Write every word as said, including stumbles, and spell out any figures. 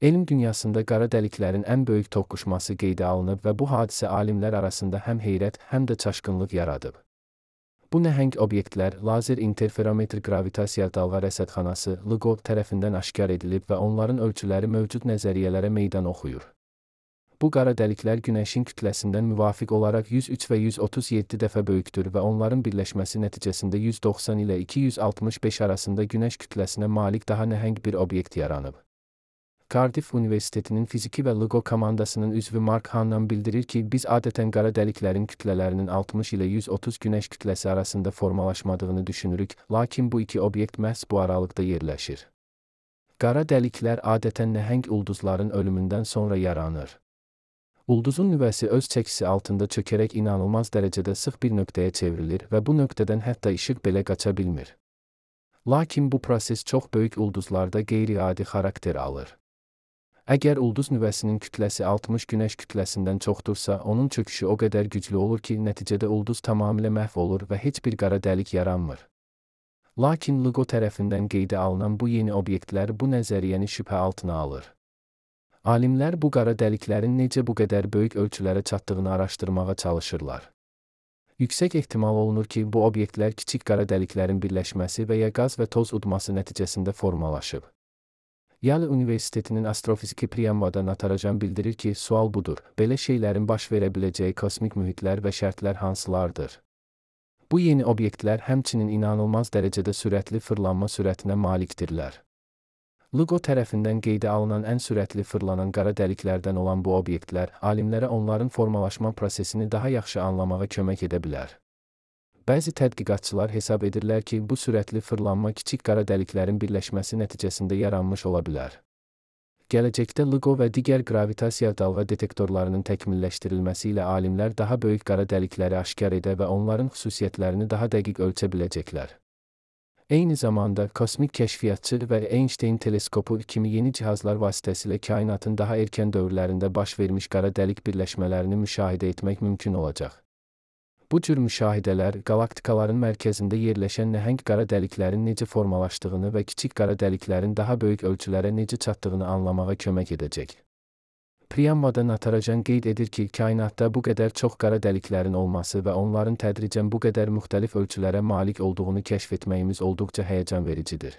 Elm dünyasında qara dəliklərin ən böyük toqquşması qeydə alınıb və bu hadisə alimlər arasında həm heyrət, həm də çaşqınlıq yaradıb. Bu nəhəng obyektlər lazer interferometr qravitasiya dalğa rəsədxanası L I G O tərəfindən aşkar edilib və onların ölçüləri mövcud nəzəriyyələrə meydan oxuyur. Bu qara dəliklər Günəşin kütləsindən müvafiq olaraq yüz üç və yüz otuz yeddi dəfə böyükdür və onların birləşməsi nəticəsində yüz doxsan ilə iki yüz altmış beş arasında Günəş kütləsinə malik daha nəhəng bir obyekt yaranıb. Cardiff Universitetinin fiziki və L I G O komandasının üzvü Mark Hannan bildirir ki, biz adətən qara dəliklərin kütlələrinin altmış ilə yüz otuz Günəş kütləsi arasında formalaşmadığını düşünürük, lakin bu iki obyekt məhz bu aralıqda yerləşir. Qara dəliklər adətən nəhəng ulduzların ölümündən sonra yaranır. Ulduzun nüvəsi öz çəkisi altında çökərək inanılmaz dərəcədə sıx bir nöqtəyə çevrilir və bu nöqtədən hətta işıq belə qaça bilmir. Lakin bu proses çox böyük ulduzlarda qeyri-adi xarakter alır. Əgər ulduz nüvəsinin kütləsi altmış Günəş kütləsindən çoxdursa, onun çöküşü o qədər güclü olur ki, nəticədə ulduz tamamilə məhv olur və heç bir qara dəlik yaranmır. Lakin L I G O tərəfindən qeydə alınan bu yeni obyektlər bu nəzəriyyəni şübhə altına alır. Alimlər bu qara dəliklərin necə bu qədər böyük ölçülərə çatdığını araşdırmağa çalışırlar. Yüksək ehtimal olunur ki, bu obyektlər kiçik qara dəliklərin birləşməsi və ya qaz və toz udması nəticəsində formalaşıb. Yale Universitetinin astrofiziki Priyanvada Natarajan bildirir ki, sual budur, belə şeylərin baş verə biləcəyi kosmik mühitlər və şərtlər hansılardır? Bu yeni obyektlər həmçinin inanılmaz dərəcədə sürətli fırlanma sürətinə malikdirlər. L I G O tərəfindən qeydə alınan ən sürətli fırlanan qara dəliklərdən olan bu obyektlər, alimlərə onların formalaşma prosesini daha yaxşı anlamağa kömək edə bilər. Bəzi tədqiqatçılar hesab edirlər ki, bu sürətli fırlanma kiçik qara dəliklərin birləşməsi nəticəsində yaranmış ola bilər. Gələcəkdə L I G O və digər qravitasiya dalğa detektorlarının təkmilləşdirilməsi ilə alimlər daha böyük qara dəlikləri aşkar edə və onların xüsusiyyətlərini daha dəqiq ölçə biləcəklər. Eyni zamanda, kosmik kəşfiyyatçı və Einstein teleskopu kimi yeni cihazlar vasitəsilə kainatın daha erkən dövrlərində baş vermiş qara dəlik birləşmələrini müşahidə etmək mümkün olacaq. Bu cür müşahidələr, qalaktikaların mərkəzində yerləşən nəhəng qara dəliklərin necə formalaşdığını və kiçik qara dəliklərin daha böyük ölçülərə necə çatdığını anlamağa kömək edəcək. Priyanvada Natarajan qeyd edir ki, kainatda bu qədər çox qara dəliklərin olması və onların tədricən bu qədər müxtəlif ölçülərə malik olduğunu kəşf etməyimiz olduqca həyəcan vericidir.